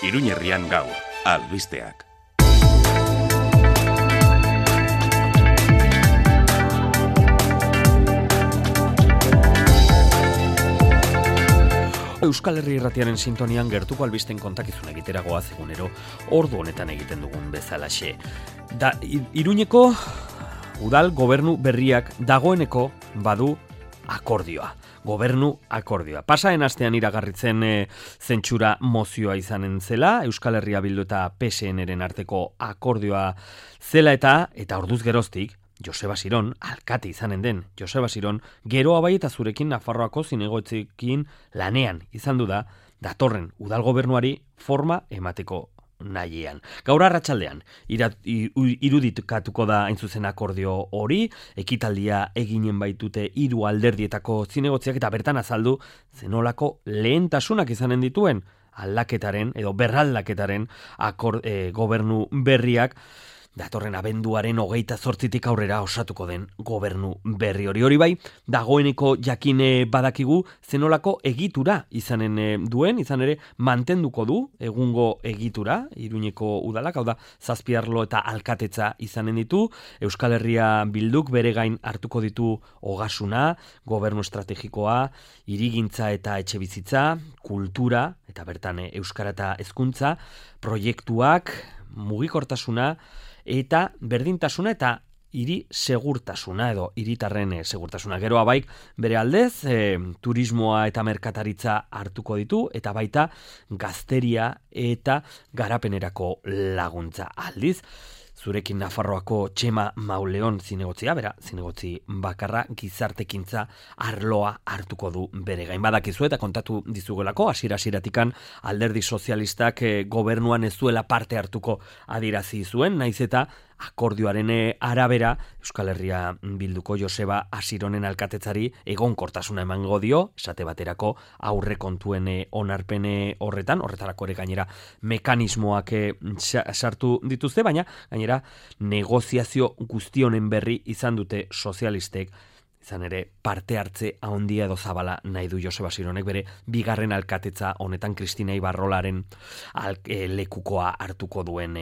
Iruñerrian gaur, albisteak. Euskal Herri Irratiaren sintonian gertuko albisten kontakizun egiteragoa egunero ordu honetan egiten dugun bezalaxe. Iruñeko udal gobernu berriak dagoeneko badu akordioa. Gobernu akordioa. Pasaen astean iragarritzen zentsura mozioa izanen zela, Euskal Herria Bildu eta PSN-eren arteko akordioa zela eta orduz geroztik, Joseba Siron, alkate izanen den Joseba Siron, geroa bai eta zurekin Nafarroako zinegotzikin lanean izan du da, datorren udal gobernuari forma emateko nahiean. Gaur arratsaldean iruditukatuko da hain zuzen akordio hori, ekitaldia eginen baitute 3 alderdietako zinegotziak eta bertan azaldu zenolako lehentasunak izanen dituen aldaketaren edo berraldaketaren gobernu berriak datorren abenduaren 28 aurrera osatuko den gobernu berri hori bai, dagoeneko jakine badakigu zenolako egitura izanen izan ere mantenduko du egungo egitura, Iruñeko udalak, hau da, 7 arlo eta alkatetza izanen ditu, Euskal Herria Bilduk bere gain hartuko ditu ogasuna, gobernu estrategikoa, hirigintza eta etxebizitza, kultura, eta bertan euskara eta hezkuntza, proiektuak, mugikortasuna, eta berdintasuna eta hiri segurtasuna edo hiritarren segurtasuna. Geroa baik bere aldez turismoa eta merkataritza hartuko ditu eta baita gazteria eta garapenerako laguntza. Aldiz, zurekin Nafarroako Txema Mauleon zinegotzia, zinegotzi bakarra gizartekintza arloa hartuko du bere gain. Badakizu eta kontatu dizugelako, hasiera-hasieratik alderdi sozialistak gobernuan ez zuela parte hartuko adierazi zuen, naiz eta akordioaren arabera Euskal Herria Bilduko Joseba Asironen alkatetzari egonkortasuna emango dio, esate baterako aurrekontuen onarpen horretarako ere gainera mekanismoak sartu dituzte, baina gainera negoziazio guztionen berri izan dute sozialistek, izan ere parte hartze handia edo zabala nahi du Joseba Sironek bere bigarren alkatetza honetan Kristina Ibarrolaren lekukoa hartuko duen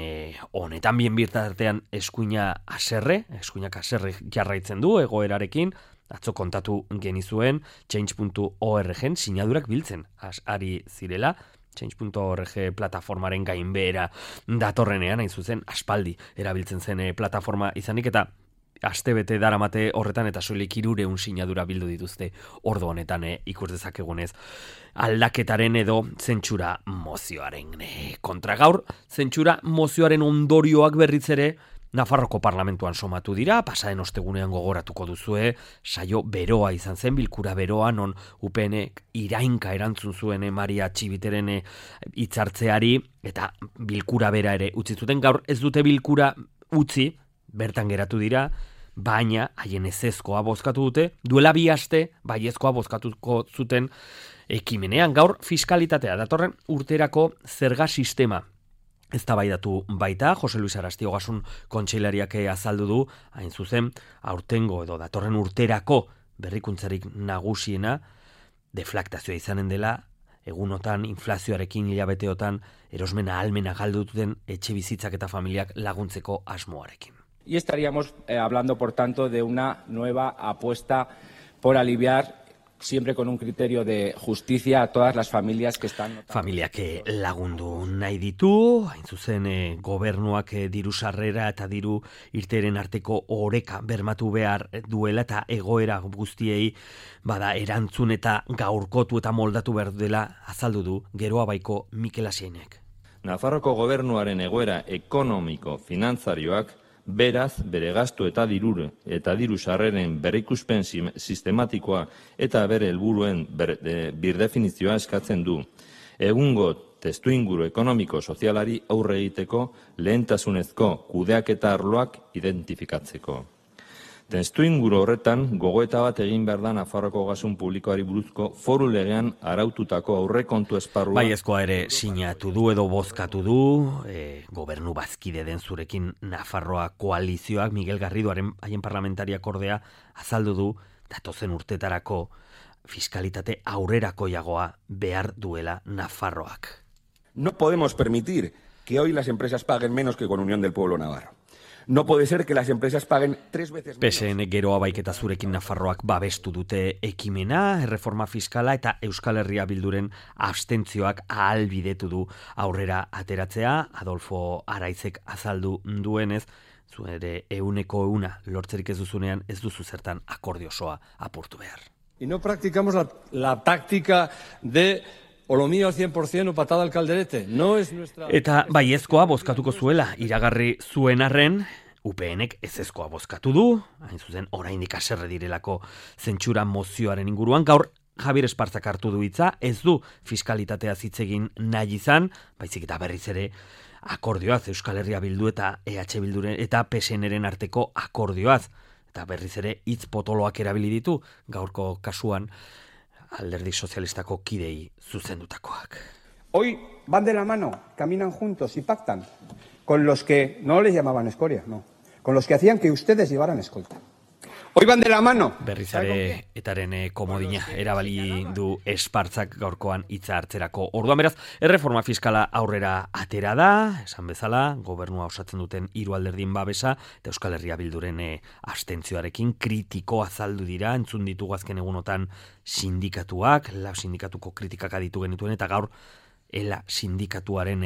honetan. Bien bitartean eskuinak haserre jarraitzen du egoerarekin, atzo kontatu genizuen change.org sinadurak biltzen ari zirela, change.org plataformaren gainbehera datorrenean, hain zuzen aspaldi erabiltzen zen plataforma izanik eta astebete daramate horretan eta soilik 300 sinadura bildu dituzte ordu honetan ikus dezakegunez aldaketaren edo zentsura mozioaren kontra. Gaur zentsura mozioaren ondorioak berriz ere Nafarroko parlamentuan somatu dira, pasaden ostegunean gogoratuko duzue, saio beroa izan zen, bilkura beroa, non UPNek irainka erantzun zuen Maria Txibiteren hitzartzeari eta bilkura bera ere utzi zuten. Gaur ez dute bilkura utzi, bertan geratu dira, baina haien ezezkoa bozkatu dute, duela 2 aste baiezkoa bozkatuko zuten ekimenean. Gaur fiskalitatea datorren urterako zerga sistema eztabaidatu baita, Jose Luis Arasti Ogasun kontseilariak azaldu du, hain zuzen, aurtengo edo datorren urterako berrikuntzarik nagusiena deflaktazioa izanen dela, egunotan, inflazioarekin, hilabeteotan, erosmena ahalmena galdu duten etxe bizitzak eta familiak laguntzeko asmoarekin. Y estaríamos hablando, por tanto, de una nueva apuesta por aliviar, siempre con un criterio de justicia, a todas las familias que están... Familiak lagundu nahi ditu, hain zuzen gobernuak diru sarrera eta diru irteren arteko oreka bermatu behar duela eta egoera guztiei bada erantzun eta gaurkotu eta moldatu behar dela azaldu du Geroa baiko Mikel Asienek. Nafarroko gobernuaren egoera ekonomiko finantzarioak beraz bere gastu eta diru sarreren berrikuspen sistematikoa eta bere helburuen birdefinizioa eskatzen du. Egungo testuinguru ekonomiko-sozialari aurre egiteko lehentasunezko kudeaketa arloak identifikatzeko. Testuinguru horretan, gogoeta bat egin behar da Nafarroko ogasun publikoari buruzko foru legean araututako aurrekontu esparrua. Baiezkoa ere sinatu du edo bozkatu du, gobernu bazkide den zurekin Nafarroa koalizioak, Miguel Garridoaren haien parlamentariak ordea azaldu du, datozen urtetarako fiskalitate aurrerakoiagoa behar duela Nafarroak. No podemos permitir que hoy las empresas paguen menos que con Unión del Pueblo Navarro. No puede ser que las empresas paguen 3 veces menos. PSN geroa baiketa zurekin Nafarroak babestu dute ekimena, erreforma fiskala eta Euskal Herria Bilduren abstentzioak ahalbidetu du aurrera ateratzea. Adolfo Araizek azaldu duenez, zu ere 100% lortzerik ez duzunean ez duzu zertan akordio osoa apurtu behar. Y no practicamos la táctica de o lo mío al 100% o patada al calderete. No es nuestra... Eta baiezkoa bozkatuko zuela iragarri zuen arren, UPNek ezezkoa bozkatu du, hain zuzen oraindik haserre direlako zentsura mozioaren inguruan, gaur Javier Espartzak hartu du hitza, ez du fiskalitatea hitz egin nahi izan, baizik eta berriz ere akordioaz, Euskal Herria Bildu eta EH Bilduren eta PSNren arteko akordioaz, eta berriz ere hitz potoloak erabili ditu, gaurko kasuan Alderdi Sozialistako kidei zuzendutakoak. Hoy van de la mano, caminan juntos y pactan con los que no les llamaban escoria, no, con los que hacían que ustedes llevaran escolta. Hoy van de la mano. Berriz ere etaren komodina erabali du Espartzak gaurkoan hitza hartzerako. Orduan beraz, erreforma fiskala aurrera atera da, esan bezala, gobernua osatzen duten 3 alderdien babesa, eta Euskal Herria Bilduren abstentzioarekin kritiko azaldu dira, entzun ditugu azken egunotan sindikatuak, LAB sindikatuko kritikak aditu genituen, eta gaur ELA sindikatuaren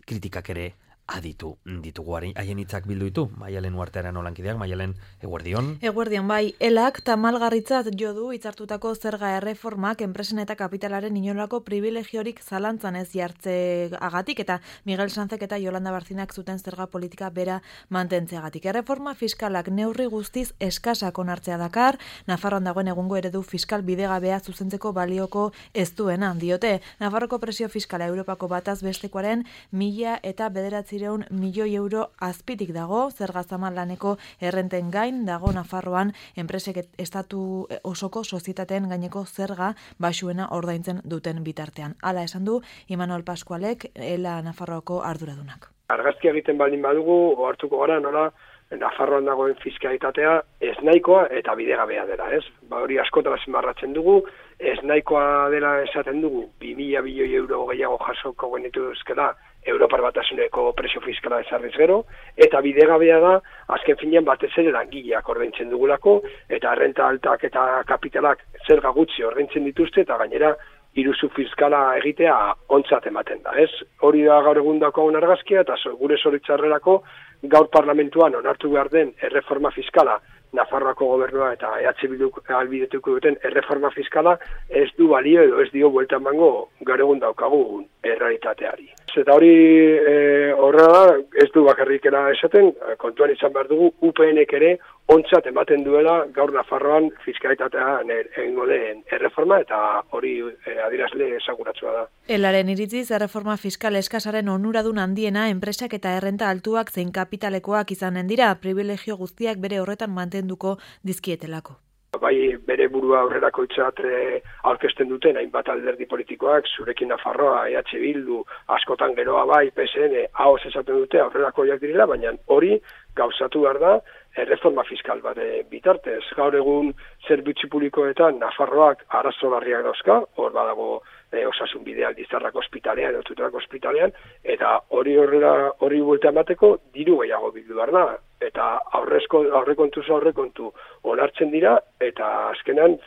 kritikak ere aditu ditugu. Haien hitzak bildu ditu, Maialen Uartearen olankideak. Maialen, eguerdion. Eguerdion, bai, elak tamalgarritzat jo du hitzartutako zerga erreformak enpresen eta kapitalaren inolako privilegiorik zalantzan ez jartzeagatik, eta Miguel Sanzek eta Yolanda Barzinak zuten zerga politika bera mantentzeagatik. Erreforma fiskalak neurri guztiz eskasak onartzea dakar, Nafarroan dagoen egungo eredu fiskal bidegabea zuzentzeko balioko ez duena, diote. Nafarroko presio fiskala Europako bataz bestekoaren 1.009 milioi euro azpitik dago, zerga zaman laneko errenten gain dago Nafarroan enpresek estatu osoko sozietateen gaineko zerga baxuena ordaintzen duten bitartean. Hala esan du Imanol Pascualek, ELA Nafarroako arduradunak. Argazkia egiten baldin badugu, ohartuko gara nola Nafarroan dagoen fiskalitatea ez nahikoa eta bidegabea dela, ez? Hori askotan azpimarratzen dugu, ez nahikoa dela esaten dugu, 2.000 milioi euro gehiago jasoko genituzkela Europar Batasuneko presio fiskala ezarriz gero, eta bidegabea da, azken finean batez ere langileak ordaintzen dugulako, eta renta altak eta kapitalak zerga gutxi ordaintzen dituzte, eta gainera iruzur fiskala egitea ontzat ematen da, ez? Hori da gaur egundako argazkia, eta gure zoritxarrerako gaur parlamentuan onartu behar den erreforma fiskala, Nafarroako gobernua eta EH Bilduk ahalbidetuko duten erreforma fiskala ez du balio edo ez dio buelta emango gaur egun daukagun errealitateari. Eta hori horrela da, ez du bakarrikera esaten, kontuan izan behar dugu, UPNek ere ontzat ematen duela gaur Nafarroan fiskalitatean egingo den erreforma, eta hori adierazle esaguratsua da. Elaren iritziz, erreforma fiskal eskasaren onuradun handiena enpresak eta errenta altuak zein kapitalekoak izanen dira, privilegio guztiak bere horretan mantenduko dizkietelako. Bai, bere burua aurrerako itzat aurkezten duten hainbat alderdi politikoak, zurekin Nafarroa, EH Bildu, askotan geroa bai, PSN, ahoz esaten dute aurrerakoiak direla, baina hori gauzatu behar da erreforma fiskal bat bitartez. Gaur egun zerbitzu publikoetan Nafarroak arazo larriak dauzka, hor badago osasun bidea Aldizarrako ospitalean, Tuterako ospitalean, eta hori buelta emateko diru gehiago bildu behar da. Eta aurrekontu onartzen dira, eta azkenan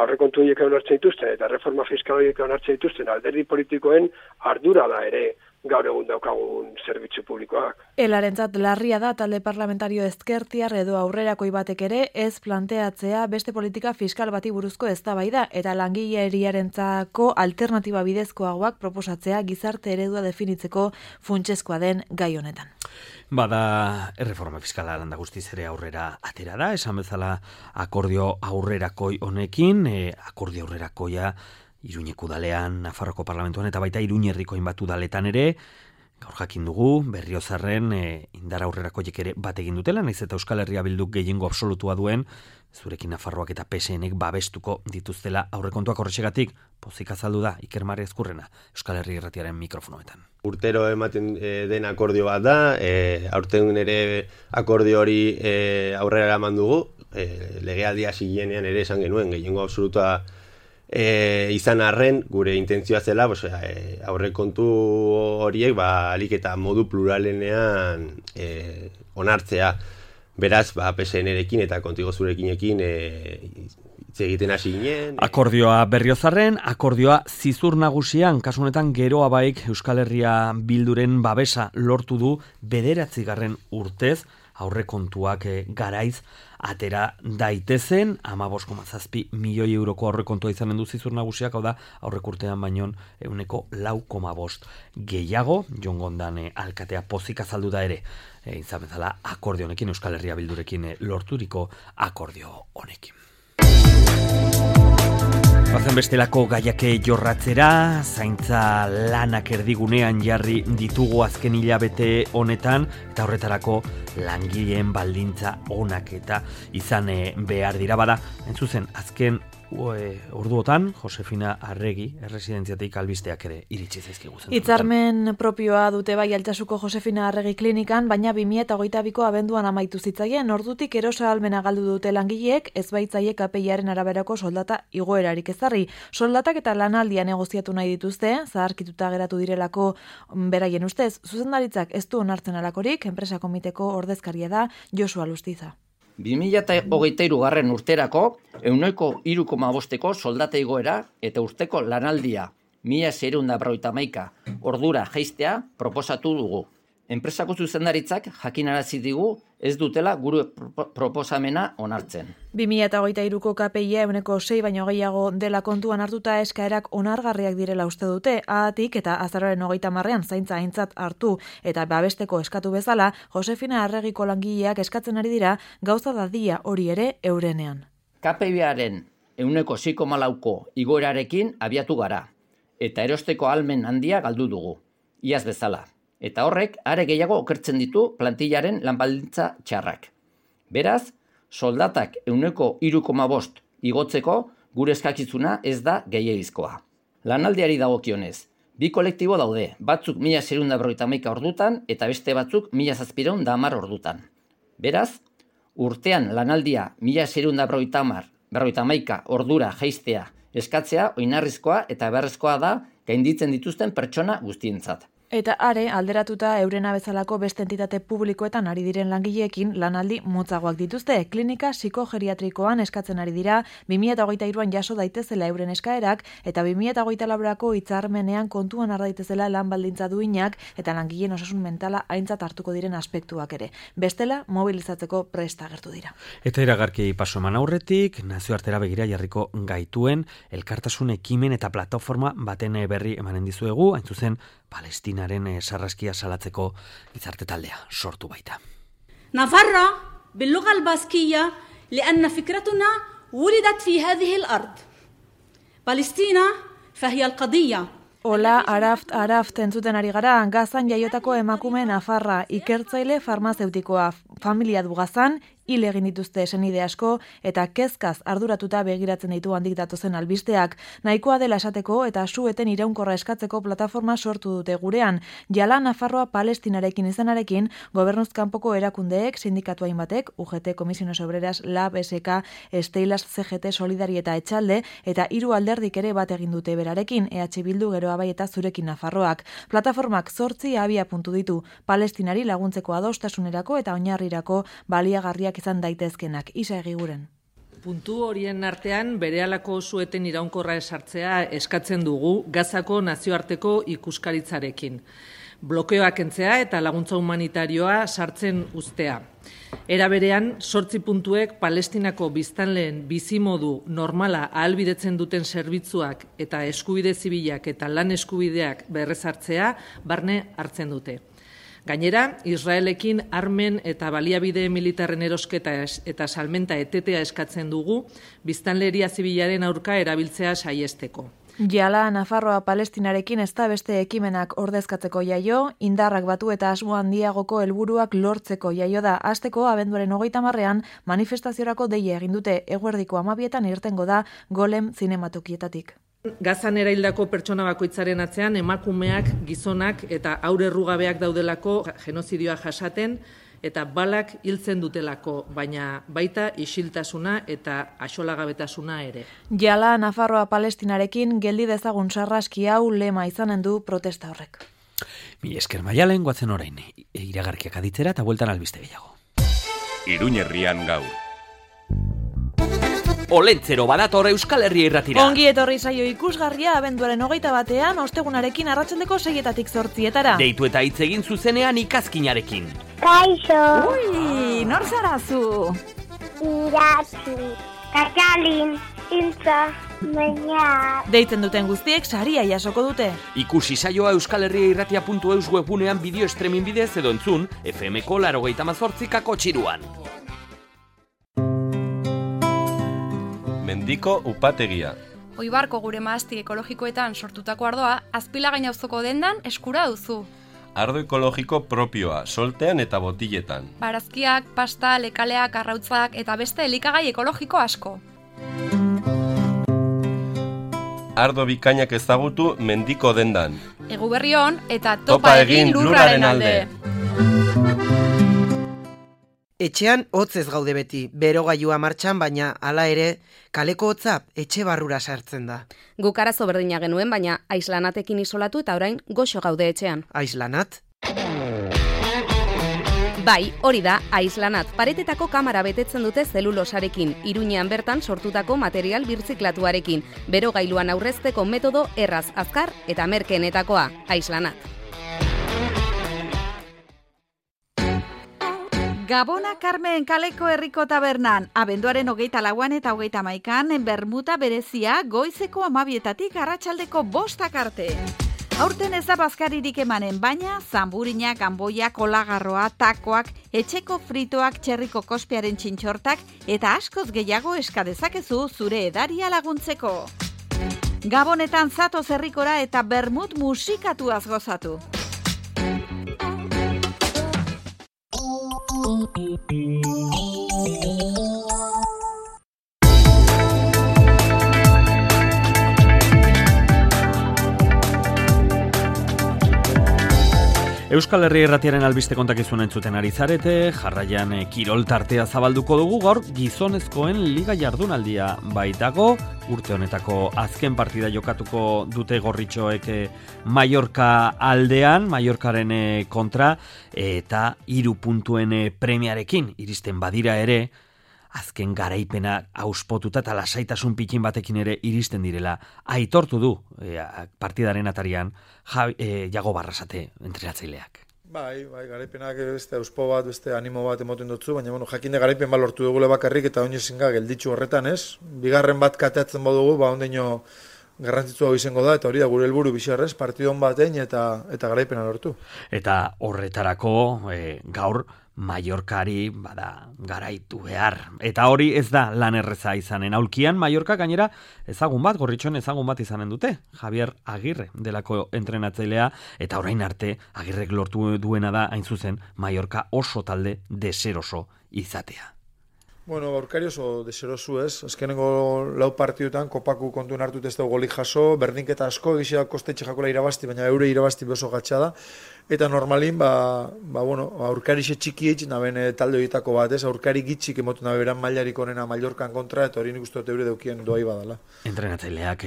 aurrekontu horiek onartzen dituzten, eta reforma fiskal horiek onartzen dituzten alderdi politikoen ardura da ere gaur egun daukagun zerbitzu publikoak. Elarentzat larria da talde parlamentario ezkertiar edo aurrerakoi batek ere ez planteatzea beste politika fiskal bati buruzko eztabaida eta langileriarentzako alternatiba bidezkoagoak proposatzea gizarte eredua definitzeko funtsezkoa den gai honetan. Bada erreforma fiskala landa guztiz ere aurrera atera da, esan bezala akordio aurrerakoi honekin, akordio aurrerakoia Iruñeko udalean, Nafarroko parlamentuan eta baita Iruñerriko hainbat udaletan ere, gaur jakin dugu, Berriozarren indar aurrerakoiek ere bat egin dutela, naiz eta Euskal Herria Bilduk gehiengo absolutua duen, zurekin Nafarroak eta PSNek babestuko dituztela aurrekontuak horrexegatik, pozik azaldu da Iker Mari Ezkurrena, Euskal Herri Irratiaren mikrofonoetan. Urtero ematen den akordio bat da, aurten ere akordio hori aurrera eraman dugu, legealdia zilenean ere esan genuen, gehiengo absolutua izan arren, gure intentzioa zela, aurrekontu horiek alik eta modu pluralenean onartzea. Beraz, PSN-erekin eta Kontigo Zurekinekin hitz egiten hasi ginen. Akordioa Berriozarren, akordioa Zizur Nagusian, kasu honetan Geroa Baik Euskal Herria Bilduren babesa lortu du 9. urtez, aurrekontuak garaiz atera daitezen, 15,7 milioi euroko aurrekontua izanen du Zizur Nagusiak, hau da, aurrekurtean baino 4,5% gehiago, Jon Gondan alkatea pozik azaldu da ere, izan bezala akordio honekin, Euskal Herria Bildurekin lorturiko akordio honekin. Bazen bestelako gaiake jorratzera, zaintza lanak erdigunean jarri ditugu azken hilabete honetan, eta horretarako langileen baldintza onak eta izan behar dira bada. Entzuzen, azken orduotan, Josefina Arregi, erresidentziatik albisteak ere iritsi zaizkigu. Hitzarmen propioa dute bai Altsasuko Josefina Arregi klinikan, baina 2022ko abenduan amaitu zitzaien, ordutik erosa ahalmena galdu dute langileek, ez baitzaie KPIaren araberako soldata igoerarik ezarri. Soldatak eta lanaldia negoziatu nahi dituzte, zaharkituta geratu direlako beraien ustez, zuzendaritzak ez du onartzen alakorik, enpresa komiteko ordezkaria da Josu Alustiza. 2023 urterako 3,5% soldata igoera eta urteko lanaldia 1.651 ordura jaistea proposatu dugu. Enpresako zuzendaritzak jakinarazi digu ez dutela gure proposamena onartzen. 2023ko KPIa 6 baino gehiago dela kontuan hartuta eskaerak onargarriak direla uste dute, ahatik eta azaroaren 30ean zaintza aintzat hartu eta babesteko eskatu bezala, Josefina Arregiko langileak eskatzen ari dira gauza dadia hori ere eurenean. KPIaren 6,4ko igoerarekin abiatu gara, eta erosteko ahalmen handia galdu dugu, iaz bezala. Eta horrek are gehiago okertzen ditu plantillaren lanbaldintza txarrak. Beraz, soldatak 3,5% igotzeko gure eskakizuna ez da gehiegizkoa. Lanaldiari dagokionez, 2 kolektibo daude, batzuk 1.651 ordutan eta beste batzuk 1.710 ordutan. Beraz, urtean lanaldia 1.651 ordura jaistea eskatzea oinarrizkoa eta beharrezkoa da gainditzen dituzten pertsona guztientzat. Eta are, alderatuta eurena bezalako beste entitate publikoetan ari diren langileekin lanaldi motzagoak dituzte. Klinika psikogeriatrikoan eskatzen ari dira 2023an jaso daitezela euren eskaerak eta 2024ako hitzarmenean kontuan har daitezela lan baldintza duinak eta langileen osasun mentala aintzat hartuko diren aspektuak ere. Bestela, mobilizatzeko prest agertu dira. Eta iragarki paso eman aurretik, nazioartera begira jarriko gaituen elkartasun ekimen eta plataforma baten berri emanen dizuegu, hain zuzen Palestinaren sarraskia salatzeko gizarte taldea sortu baita. نفرح باللغة الباسكية لأن فكرتنا ولدت في هذه الأرض. فلسطين فهي القضية. Ola, araft entzuten ari gara, Gazan jaiotako emakume nafarra, ikertzaile farmazeutikoa, familia du Gazan, hil egin dituzte senide asko eta kezkaz arduratuta begiratzen ditu handik datozen albisteak. Nahikoa dela esateko eta sueten iraunkorra eskatzeko plataforma sortu dute gurean. Jala Nafarroa Palestinarekin izanarekin, gobernuz kanpoko erakundeek, sindikatu hainbatek, UGT, Comisiones Obreras, LAB, SK, Steilas, CGT, Solidari eta Etxalde, eta 3 alderdik ere bat egin dute berarekin, EH Bildu, Geroa Bai eta Zurekin Nafarroak. Plataformak 8 abia puntu ditu, Palestinari laguntzeko adostasunerako eta oinarrirako baliagarriak izan daitezkenak, Isa Egiguren. Puntu horien artean berehalako sueten iraunkorra esartzea eskatzen dugu Gazako nazioarteko ikuskaritzarekin. Blokeoak kentzea eta laguntza humanitarioa sartzen uztea. Era berean, 8 puntuek Palestinako biztanleen bizimodu normala ahalbidetzen duten zerbitzuak eta eskubide zibilak eta lan eskubideak berrezartzea barne hartzen dute. Gainera, Israelekin armen eta baliabide militarren erosketa eta salmenta etetea eskatzen dugu, biztanleria zibilaren aurka erabiltzea saiesteko. Jala Nafarroa Palestinarekin ez da beste ekimenak ordezkatzeko jaio, indarrak batu eta asmo handiagoko helburuak lortzeko jaio da. Hasteko abenduaren 30ean manifestaziorako deia egin dute, eguerdiko 12etan irtengo da Golem zinematokietatik. Gazan eraildako pertsona bakoitzaren atzean emakumeak, gizonak eta haur errugabeak daudelako genozidioa jasaten eta balak hiltzen dutelako, baina baita isiltasuna eta axolagabetasuna ere. Jala Nafarroa Palestinarekin geldi dezagun sarraski hau lema izanen du protesta horrek. Mi esker Maialen, goazen orain, iragarkiak aditzera eta bueltan albiste gehiago. Iruñerrian gaur. Olentzero badator Euskal Herria irratira. Ongi etorri saio ikusgarria abenduaren 21 ostegunarekin arratsaldeko 6-etatik 8-etara. Deitu eta hitz egin zuzenean ikazkinarekin. Kaixo. Ui, nor zara zu? Iratzi. Katalin. Iltza. Baina. Deitzen duten guztiek saria jasoko dute. Ikusi saioa euskalherriairratia.eus webunean bideo streaming bidez edo entzun FM-ko 88 txiruan. Mendiko upategia. Oibarko gure mahasti ekologikoetan sortutako ardoa Azpilagain auzoko dendan eskura duzu. Ardo ekologiko propioa, soltean eta botiletan. Barazkiak, pasta, lekaleak, arrautzak eta beste elikagai ekologiko asko. Ardo bikainak ezagutu mendiko dendan. Eguberri on eta topa egin lurraren alde. Etxean hotz ez gaude beti, berogailua martxan, baina hala ere kaleko hotza etxe barrura sartzen da. Guk arazo berdina genuen, baina aislanatekin isolatu eta orain goxo gaude etxean. Aislanat? Bai, hori da, aislanat. Paretetako kamara betetzen dute zelulosarekin, Iruñean bertan sortutako material birziklatuarekin. Berogailuan aurrezteko metodo erraz, azkar eta merkeenetakoa, aislanat. Gabona Carmen kaleko herriko tabernan, abenduaren 24 eta 31 bermuta berezia goizeko 12 arratsaldeko 5 arte. Aurten ez da bazkaririk emanen, baina zanburinak, anboiak, olagarroa, takoak, etxeko fritoak, txerriko kospiaren txintxortak eta askoz gehiago eska dezakezu zure edaria laguntzeko. Gabonetan zatoz herrikora eta bermut musikatuaz gozatu. Euskal Herria irratiaren albiste kontakizun entzuten ari zarete, jarraian kirol tartea zabalduko dugu gaur gizonezkoen liga jardunaldia baitago, urte honetako azken partida jokatuko dute gorritxoek Mallorca aldean, Mallorcaren kontra, eta 3 puntuen premiarekin iristen badira ere, azken garaipena auspotuta eta lasaitasun pikin batekin ere iristen direla. Aitortu du partidaren atarian Jago Barrasate entrenatzaileak. Bai, garaipenak beste auspo bat, beste animo bat emoten dutzu, baina jakinde garaipen bat lortu dugule bakarrik eta oinezinga gelditxu horretan, ez? Bigarren bat kateatzen badugu, ondeino garrantzitsua izango da, eta hori da gure helburu bizarrez, partidon batein eta garaipena lortu. Eta horretarako gaur Mallorcari garaitu behar. Eta hori ez da lan erreza izanen. Aulkian Mallorca gainera ezagun bat, gorritxoen ezagun bat izanen dute. Javier Agirre delako entrenatzailea, eta orain arte Agirrek lortu duena da hain zuzen Mallorca oso talde deseroso izatea. Aurkari oso deserosu ez. Azkenengo 4 partidutan kopaku kontuen hartut ez dugu golik jaso, berdinketa asko egizia kostetxe jakola irabazti, baina eure irabazti oso gatsa da. Eta normalin, aurkari xe txiki eitz, naben talde horietako bat, ez? Aurkari gitxik emotu nabe beran mailarik onena Mallorcan kontra, eta hori nik uste dut eure deukien doai badala. Entrenatzaileak,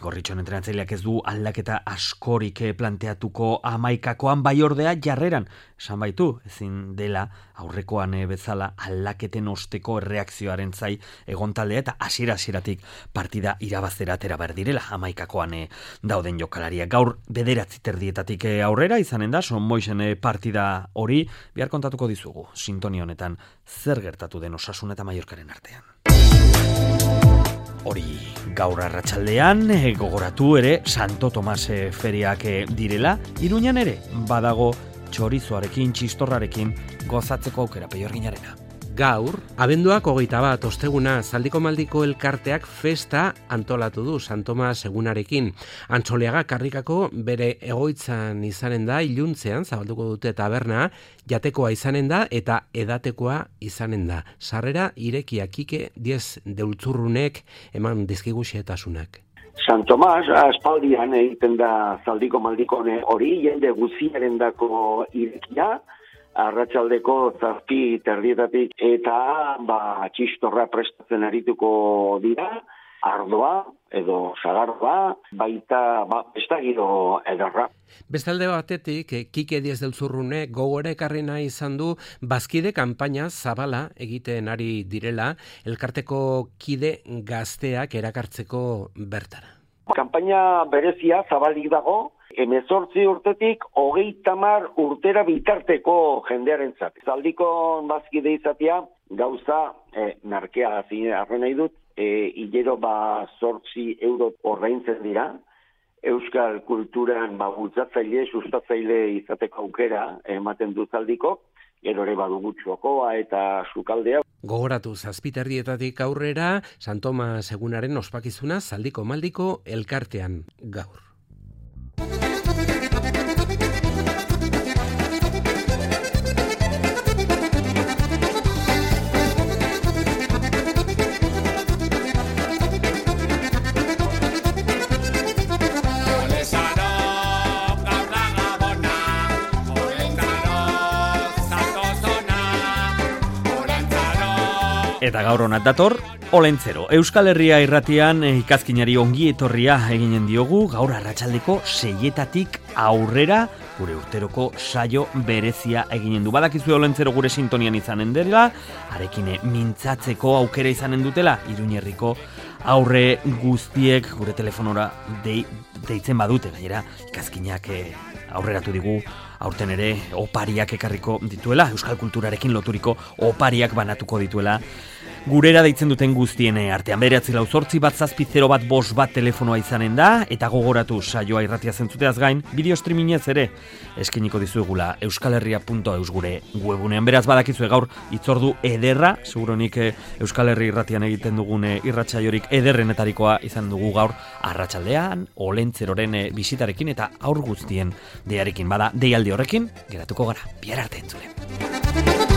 gorritxon entrenatzaileak ez du aldaketa askorik planteatuko 11koan, bai ordea jarreran. Esan baitu, ezin dela aurrekoan bezala aldaketen osteko erreakzioaren zai egon taldea, eta hasieratik partida irabaztera atera behar direla 11koan dauden jokalariak. Gaur 9:00 aurrera izanen da, Son Moisen partida hori, bihar kontatuko dizugu, sintonia honetan zer gertatu den Osasun eta Mallorcaren artean. Hori gaur arratsaldean gogoratu ere Santo Tomas feriak direla, Iruñan ere badago txorizoarekin, txistorrarekin gozatzeko aukera Peyorginarena. Gaur, abenduak 21 osteguna Zaldiko Maldiko elkarteak festa antolatu du San Tomas egunarekin. Antxoliaga karrikako bere egoitzan izanen da, iluntzean zabalduko dute taberna, jatekoa izanen da eta edatekoa izanen da. Sarrera irekia Kike 10 deutzurrunek eman dizkigu xehetasunak. San Tomas, aspaldian egiten da Zaldiko Maldiko hori, jende guziarendako irekia, arratsaldeko 7:30 eta txistorra prestatzen arituko dira, ardoa edo sagardoa, baita bestagiro ederra. Bestalde batetik, Kike Diez del Zurrune gogora ekarri nahi izan du bazkide kanpaina zabala egiten ari direla, elkarteko kide gazteak erakartzeko bertara. Kanpaina berezia zabalik dago, 18 urtetik 30 urtera bitarteko jendearentzat. Zaldiko bazkide izatea gauza merkea arren nahi dut, hilero 8 euro ordaintzen dira, euskal kulturan bultzatzaile, sustatzaile izateko aukera ematen du Zaldiko, gero ere badugu txokoa eta sukaldea. Gogoratu 7:30 aurrera, San Tomas egunaren ospakizuna Zaldiko Maldiko elkartean gaur. Eta gaur honat dator, Olentzero. Euskal Herria irratian ikazkinari ongi etorria eginen diogu, gaur arratsaldeko 6:00 aurrera, gure urteroko saio berezia eginen du. Badakizue Olentzero gure sintonian izanen dela, arekin mintzatzeko aukera izanen dutela, Iruñerriko aurre guztiek gure telefonora deitzen badute, gainera ikazkinak aurreratu digu, aurten ere opariak ekarriko dituela, euskal kulturarekin loturiko opariak banatuko dituela, gurera deitzen duten guztien artean. 948-170-1 telefonoa izanen da, eta gogoratu saioa irratia zentzuteaz gain, bideo streamingez ere eskeniko dizuegula euskalherria.eus gure webunean. Beraz badakizue gaur itzordu ederra, seguronik Euskal Herri irratian egiten dugun irratsaiorik ederrenetarikoa izan dugu gaur arratsaldean, Olentzeroren bisitarekin eta aur guztien deiarekin. Bada, deialdi horrekin geratuko gara. Bihar arte entzule.